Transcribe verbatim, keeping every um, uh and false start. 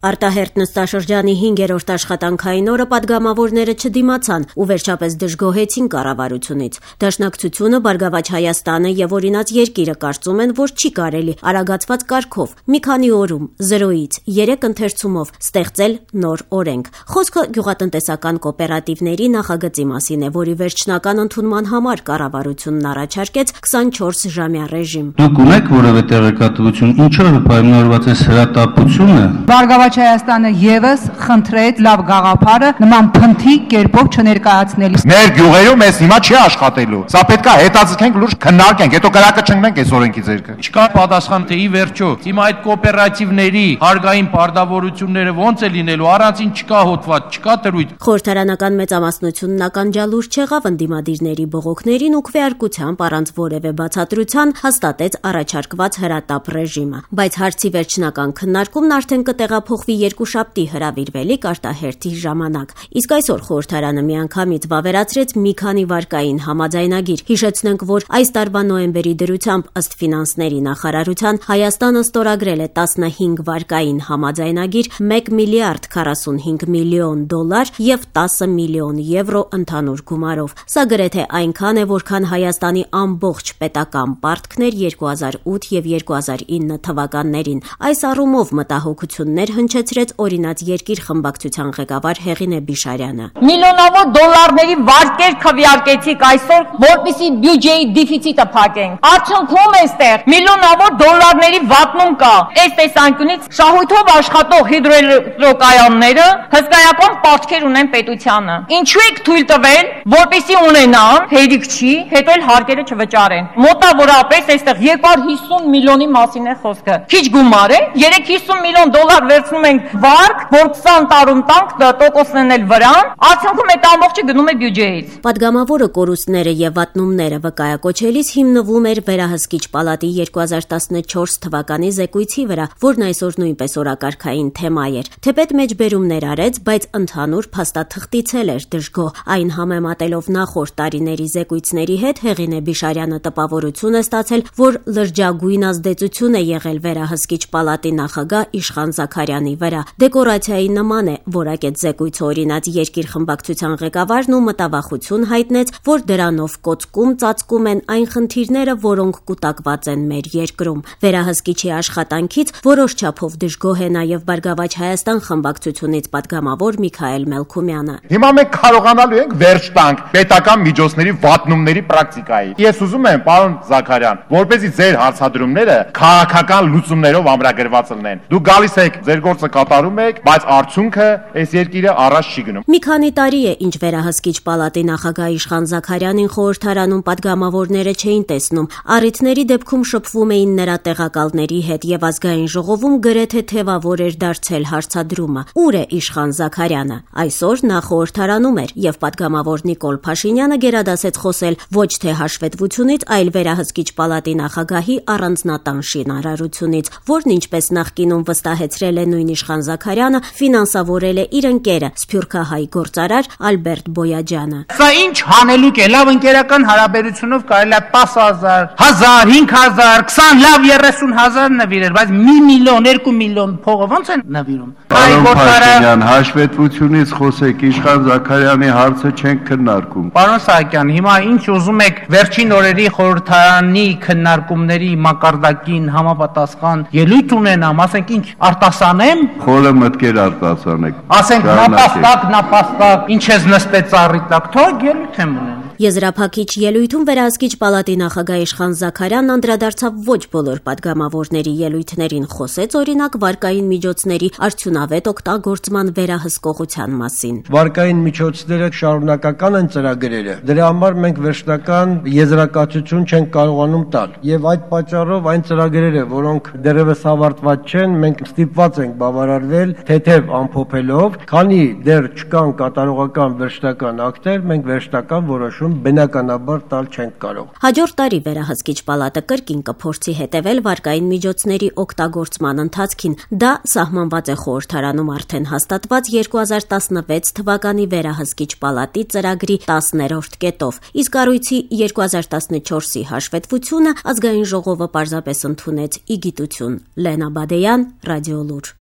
Արտահերթ նստաշրջանի հինգերորդ աշխատանքային օրը պատգամավորները չդիմացան ու վերջապես դժգոհեցին կառավարությունից։ Դաշնակցությունը, Բարգավաճ Հայաստանը եւ Օրինաց երկիրը կարծում են, որ չի կարելի արագացված կարգով մի քանի օրում զրոյից երեք ընթերցումով ստեղծել նոր օրենք։ Խոսքը գյուղատնտեսական կոոպերատիվների նախագծի մասին է, որի վերջնական ընդունման համար կառավարությունն առաջարկեց քսանչորս ժամյա ռեժիմ։ Դուք ունեք որևէ տեղեկատվություն, ինչով պայմանավորված է հրատապությունը։ Բարգավաճ Հայաստանը եւս խնդրեց լավ գաղափարը նման փնթի կերպով չներկայացնելիս։ Մեր գյուղերում էս հիմա չի աշխատելու։ Սա պետք է հետաձգենք, լուրջ քննարկենք, հետո կրակը չընկնենք այս օրենքի ձեռքը։ Չկա պատասխան թե ի վերջո հիմա այդ կոոպերատիվների հարգային պարտավորությունները ոնց է լինելու, առանցին չկա հոդված, չկա դրույթ։ Խորհրդարանական մեծամասնությունն ականջալուր չեղավ ընդդիմադիրների բողոքներին ու քվեարկությամբ առանց որևէ բացատրության հաստատեց առաջարկված հրատապ ռեժիմը։ Բայց հարցի վերջնական քննարկումն արդեն կտեղափոխվի երկուշաբթի հրավիրվելիք արտահերթի ժամանակ։ Իսկ այսօր խորհրդարանը միանգամից վավերացրեց մի քանի վարկային համաձայնագիր։ Հիշեցնենք, որ այս տարվա նոյեմբերի դրությամբ ըստ ֆինանսների նախարարության Հայաստանը ստորագրել է տասնհինգ վարկային համաձայնագիր մեկ միլիարդ քառասունհինգ միլիոն դոլար եւ տասը միլիոն եվրո ընդհանուր գումարով։ Սա գրեթե այնքան է, որքան Հայաստանի ամբողջ պետական պարտքներ երկու հազար ութ եւ երկու հազար ինը թվականներին։ Այս առումով մտահոգություններ հնչեցրեց Օրինաց երկիր խմբակցության ղեկավար Հեղինե Բիշարյանը։ Միլիոնավոր դոլարների վարկեր քվեարկեցիք այսօր, որպեսզի բյուջեի դեֆիցիտը փակենք։ Արդյունքում այստեղ միլիոնավոր դոլարների վատնում կա։ Այս տեսանկյունից շահույթով աշխատող հիդրոէլեկտրակայանները հսկայական պարտքեր ունեն պետությանը։ Ինչու եք թույլ տվել, որպեսզի ունենան, հերիք չի, հետո էլ հարկերը չվճարեն։ Մոտավորապես այստեղ երկու հարյուր հիսուն միլիոնի մասին է խոսքը։ Քիչ գումար է, երեք հիսուն միլիոն դոլար վերցնում ենք վարկ, որ քսան տարում տանք տոկոսն էլ վրան, արդյունքում այդ ամբողջը գնում է բյուջեից։ Պատգամավորը կորուստները եւ վատնումները վկայակոչելիս հիմնվում էր Վերահսկիչ պալատի երկու հազար տասնչորս թվականի զեկույցի վրա, որն այսօր նույնպես օրակարգային թեմա էր։ Թեպետ մեջբերումներ արեց, բայց ընդհանուր փաստաթղթիցել էր դժգոհ։ Այն համեմատելով նախորդ տարիների զեկույցների հետ Հեղինե Բիշարյանը տպավորություն է ստացել, որ լրջագույն ազդեցություն է եղել Վերահսկիչ պալատի նախագահ Իշխան Զաքարյանի վրա։ Դեկորացիայի նման է, որակեց զեկույցը Օրինաց երկիր խմբակցության ղեկավարն ու մտավախություն հայտնեց, որ դրանով կոծկում ծածկում են այն խնդիրները, որոնք կուտակված են մեր երկրում։ Վերահսկիչի աշխատանքից որոշ չափով դժգոհ է նաև Բարգավաճ Հայաստան խմբակցությունից պատգամավոր Միքայել Մելքումյանը։ Հիմա մենք կարողանալու ենք վերջ տանք պետական միջոցների վատնումների պրակտիկայի։ Ես ուզում եմ, պարոն Զաքարյան, որպեսզի ձեր հարցադրումները քաղաքական լուծումներով ամրագրված լինեն։ Դուք գալիս եք, ձեր գործը կատարում եք, բայց արդյունքը այս երկիրը առաջ չի գնում։ Մի քանի տարի է, ինչ Վերահսկիչ պալատի նախագահ Իշխան Զաքարյանին խորհրդարանում պատգամավորները չէին տեսնում։ Առիթների դեպքում շփվում էին նրա տեղակալների հետ եւ ազգային ժողովում գրեթե թեվավոր էր դարձել հարցադրումը։ Ուր է Իշխան Զաքարյանը։ Այսօր նա խորհրդարանում էր եւ պատգամավոր Նիկոլ Փաշինյանը գերադասեց խոսել ոչ թե հաշվետվությունից, այլ Վերահսկիչ պալատի նախագահի առանձնատան շինարարությունից, որն ինչպես նախկինում վստահեցրել է նույն Իշխան Զաքարյանը, ֆինանսավորել է իր ընկերը սփյուռքահայ գործարար Ալբերտ Բոյաջյանը։ Սա ինչ հանելուկ է, լավ ընկերական հարաբերությունով կարելի է տասը հազար, հազար, հինգ հազար, քսան, լավ երեսուն հազար նվիրել, բայց մի միլիոն, երկու միլիոն փողը ո՞նց են նվիրում։ Պարոն Փաշինյան, հաշվետվությունից խոսեք, Իշխան Զաքարյանի հարցը չենք քննարկում։ Պարոն Սահակյան, հիմա ինչ ուզում եք վերջին օրերի խորհրդարանի քննարկումների մակարդակին համապատասխան ելույթ ունենամ, ասենք ինչ արտասանեմ, խորը մտքեր արտասանեք։ Ասենք նապաստակ, նապաստակ, ինչ ես նստեց ծառի տակ, թող ելույթ եմ ունենում։ Եզրափակիչ ելույթում Վերահսկիչ պալատի նախագահ Իշխան Զաքարյանն անդրադարձավ ոչ բոլոր պատգամավորների ելույթներին, խոսեց օրինակ վարկային միջոցների արդյունավետ օգտագործման վերահսկողության մասին։ Վարկային միջոցները շարունակական են ծրագրերը։ Դրա համար մենք վերջնական եզրակացություն չենք կարողանում տալ։ Եվ այդ պատճառով այն ծրագրերը, որոնք դեռևս ավարտված չեն, մենք ստիպված ենք բավարարվել թեթև ամփոփելով, քանի դեռ չկան կատարողական վերջնական ակտեր, մենք վերջնական որոշում բնականաբար տալ չենք կարող։ Հաջորդ տարի Վերահսկիչ պալատը կրկին կփորձի հետևել վարկային միջոցների օգտագործման ընթացքին։ Դա սահմանված է խորհրդարանում արդեն հաստատված երկու հազար տասնվեց թվականի Վերահսկիչ պալատի ծրագրի տասներորդ կետով։ Իսկ կառույցի երկու հազար տասնչորսի հաշվետվությունը ազգային ժողովը պարզապես ընդունեց ի գիտություն։ Լենա Բադեյան, Ռադիոլուր։